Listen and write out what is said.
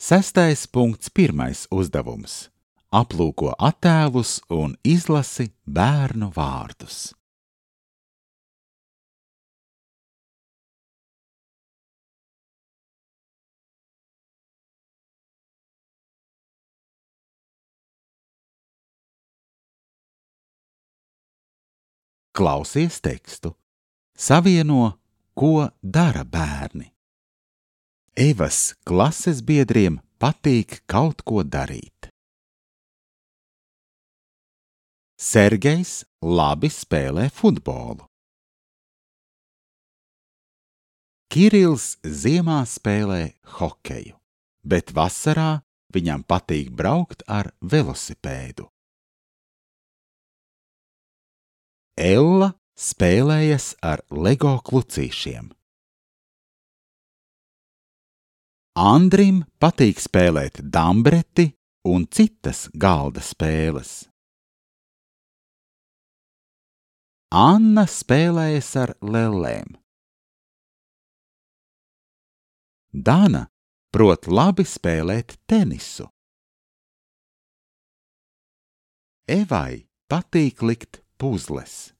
6.1. uzdevums. Aplūko attēlus un izlasi bērnu vārdus. Klausies tekstu. Savieno, ko dara bērni. Evas klases biedriem patīk kaut ko darīt. Sergejs labi spēlē futbolu. Kirils ziemā spēlē hokeju, bet vasarā viņam patīk braukt ar velosipēdu. Ella spēlējas ar Lego klucīšiem. Andrim patīk spēlēt dambreti un citas galda spēles. Anna spēlējas ar lellēm. Dana prot labi spēlēt tenisu. Evai patīk likt puzles.